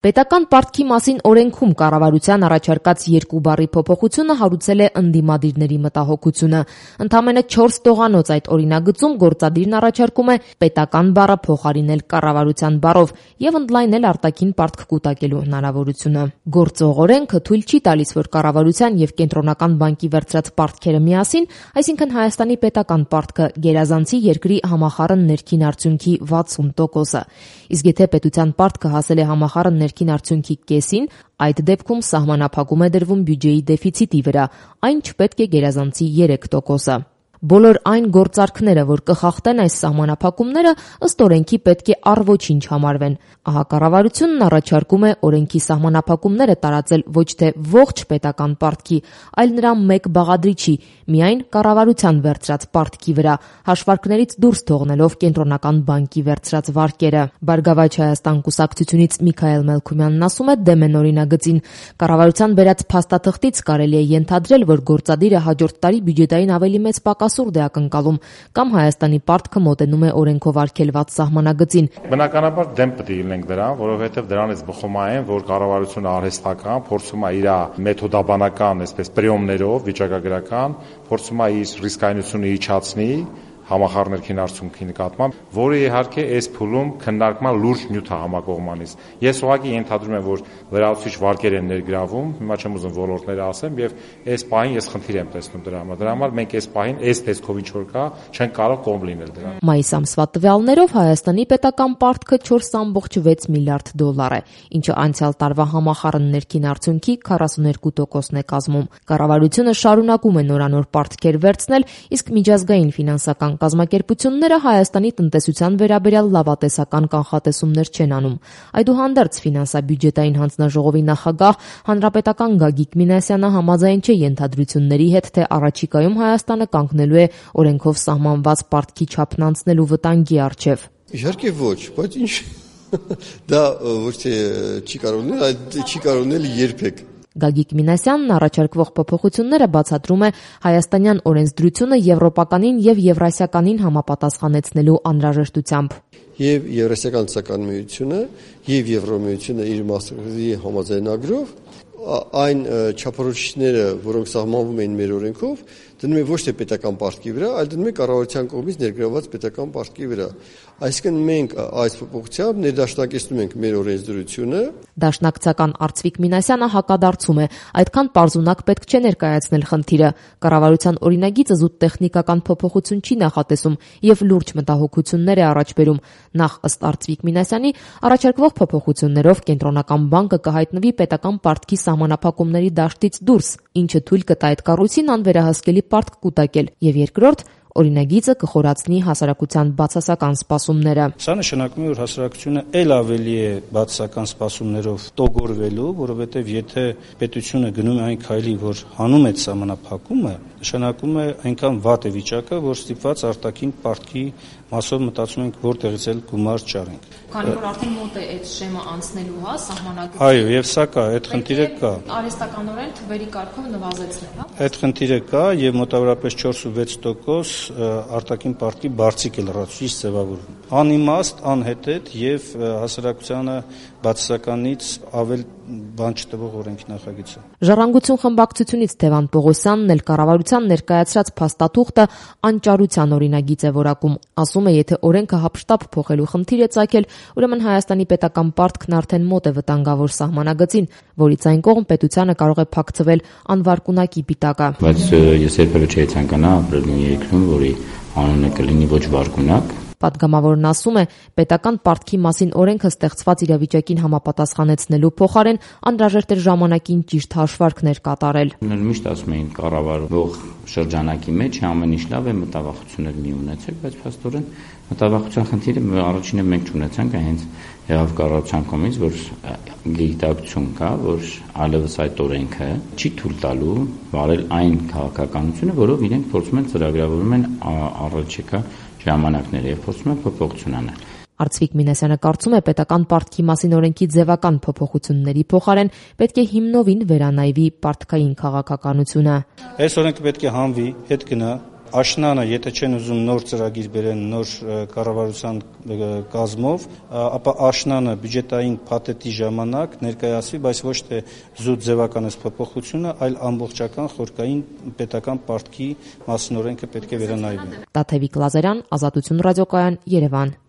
Պետական պարտքի մասին օրենքում կառավարության առաջարկած 2 բառի փոփոխությունը հարուցել է ընդդիմադիրների մտահոգությունը։ Ընդամենը 4 տողանոց այդ օրինագծում գործադիրն առաջարկում է պետական բառը փոխարինել կառավարության բառով եւ ընդլայնել արտաքին պարտք կուտակելու հնարավորությունը։ Գործող օրենքը թույլ չի տալիս, որ կառավարության եւ կենտրոնական բանկի վերցրած պարտքերը միասին, այսինքն Հայաստանի պետական պարտքը, գերազանցի երկրի համախառն ներքին արդյունքի 60%-ը։ Իսկ եթե պետության պարտքը հասել է համախառն ներքին արդյունքի կեսին, այդ դեպքում սահմանափակում է դրվում բյուջեի դեֆիցիտի վրա, այն չպետք է գերազանցի 3%-ը։ Բոլոր այն գործարքները, որ կխախտեն այս սահմանափակումները, ըստ օրենքի պետք է առ ոչինչ համարվեն։ Ահա կառավարությունն առաջարկում է օրենքի սահմանափակումները տարածել ոչ թե ողջ պետական պարտքի, այլ նրա մեկ բաղադրիչի, միայն կառավարության վերցրած պարտքի վրա, հաշվարկներից դուրս թողնելով կենտրոնական բանկի վերցրած վարկերը։ Բարգավաճ Հայաստան կուսակցությունից Միքայել Մելքումյանն ասում է դեմ են օրինագծին։ Կառավարության բերած փաստաթղթից կարելի է ենթադրել, որ գործադիրը հաջորդ տարի բյուջետային ավելի մեծ պակասուրդ է ակնկալում, կամ Հայաստանի պարտքը մոտենում է օրենքով արգելված սահմանագծին։ Բնականաբար դեմ պետք է լինենք դրան, որովհետև դրանից բխում է, որ կառավարությունը արհեստական փորձում է իր մեթոդաբանական, այսպես պրիոմներով, վիճակագրական, փորձում է իր ռիսկայնությունը իջացնի համախառն ներքին արդյունքի նկատմամբ, որը իհարկե այս փուլում քննարկման լուրջ նյութ է համակողմանից։ Ես ուղղակի ենթադրում եմ, որ լրացուցիչ վարկեր են ներգրավում, հիմա չեմ ուզում ոլորտները ասեմ, եւ այս պահին ես խնդիր եմ տեսնում դրա համար։ Դրա համար մենք այս պահին այս տեսքով ինչ որ կա, չենք կարող կողմ լինել դրան։ Մայիս ամսվա տվյալներով Հայաստանի պետական պարտքը 4.6 միլիարդ դոլար է, ինչը անցյալ տարվա համախառն ներքին արդյունքի 42%-ն է կազմում։ Կառավարությունը շարունակում է նորանոր պարտքեր վերցնել, իսկ միջազգային ֆինանսական կազմակերպությունները Հայաստանի տնտեսության վերաբերյալ լավատեսական կանխատեսումներ չեն անում։ Այդուհանդերձ ֆինանսա-բյուջետային հանձնաժողովի նախագահ հանրապետական Գագիկ Մինասյանը համաձայն չէ ենթադրությունների հետ, թե առաջիկայում Հայաստանը կանգնելու է օրենքով սահմանված պարտքի չափն անցնելու վտանգի առջև։ Իհարկե ոչ, բայց ինչ դա ոչ թե չի կարող լինել, այլ չի կարող լինել երբեք։ Գագիկ Մինասյանն առաջարկվող փոփոխությունները բացատրում է հայաստանյան օրենսդրությունը եվրոպականին եւ եվրասիականին համապատասխանեցնելու անհրաժեշտությամբ։ Եվ Եվրասիական ցական միությունը եւ Եվրոմիությունը իր մասնակցի համաձայնագրով այն չափորոշիչները, որոնք սահմանվում են մեր օրենքով, դնում է ոչ թե պետական պարտքի վրա, այլ դնում է կառավարության կողմից ներգրավված պետական պարտքի վրա։ Այսինքն մենք այս փոփոխությամբ ներդաշնակեցնում ենք մեր օրենսդրությունը։ Դաշնակցական Արծվիկ Մինասյանը հակադարձում է, այդքան պարզունակ պետք չէ ներկայացնել խնդիրը։ Կառավարության օրինագիծը զուտ տեխնիկական փոփոխություն չի նախատեսում եւ լուրջ մտահոգություններ է առաջ բերում։ Նախ ըստ Արծվիկ Մինասյանի առաջարկվող փոփոխություններով կենտրոնական բանկը կհայտնվի պետական պարտքի սահմանափակումների դաշտից դուրս, ինչը թույլ կտա այդ կառույցին անվերահսկելի պարտք կուտակել, եւ երկրորդ օրինագիծը կխորացնի հասարակության բացասական սպասումները։ Սա նշանակում է, որ հասարակությունը ել ավելի է բացասական սպասումներով տոգորվելու, որովհետև եթե պետությունը գնում է այն քայլի, որ հանում է սահմանափակումը, նշանակում է այնքան վատ է վիճակը, որ ստիպված արտաքին պարտքի մասով մտածում ենք որտեղից էլ գումար ճարենք։ Քանի որ արդեն մոտ է այդ շեմը անցնելու, հա, սահմանագծը։ Այո, եւ սա կա, այդ խնդիրը կա։ Արհեստականորեն թվերի կարգով նվազեցնել, հա։ Այդ խնդիրը կա եւ մոտավորապես 4.6% արտաքին պարտքի բարձիկ է լրացուցիչ ձևավորվում։ Անիմաստ, անհետետ եւ հասարակությանը բացասականից ավել բան չտվող օրենքի նախագիծը։ Ժառանգություն խմբակցությունից Թևան Պողոսյանն էլ կառավարության ներկայացրած փաստաթուղթը անճարության օրինագիծ է որակում։ Ասում է, եթե օրենքը հապշտապ փոխելու խնդիր է ծագել, ուրեմն Հայաստանի պետական պարտքն արդեն մոտ է վտանգավոր սահմանագծին, որից այն կողմ պետությանը կարող է փակցվել անվարկունակի պիտակը։ Բայց ես երբևէ չէի ցանկանա ապրել մի երկրում, որի անունը կլինի ոչ վարկունակ։ Պատգամավորն ասում է, պետական պարտքի մասին օրենքը ստեղծված իրավիճակին համապատասխանեցնելու փոխարեն անհրաժեշտ էր ժամանակին ճիշտ հաշվարկներ կատարել։ Միշտ ասում էին կառավարող շրջանակի մեջ ամեն ինչ լավ է, մտավախություններ մի ունեցեք, բայց փաստորեն մտավախության խնդիրը առաջինը մենք չունեցանք, հենց եղավ կառավարության կողմից, որ գիտակցություն կա, որ այլևս այդ օրենքը չի թույլ տալու վարել այն քաղաքականությունը, որով իրենք փորձում են ծրագրավորում են առաջիկա ժամանակները եւ փորձում են փոփոխություն անել։ Արծվիկ Մինասյանը կարծում է, պետական պարտքի մասին օրենքի ձևական փոփոխությունների փոխարեն պետք է հիմնովին վերանայվի պարտքային քաղաքականությունը։ Այս օրենքը պետք է հանվի, հետ գնա, Աշնանը, եթե չեն ուզում նոր ծրագիր բերեն նոր կառավարության կազմով, ապա աշնանը բյուջետային փաթեթի ժամանակ ներկայացվի, բայց ոչ թե զուտ ձևականես փոփոխությունը, այլ ամբողջական խորքային պետական պարտքի մասին օրենքը պետք է վերանայվի։ Տաթևիկ Լազարյան, Ազատություն ռադիոկայան, Երևան։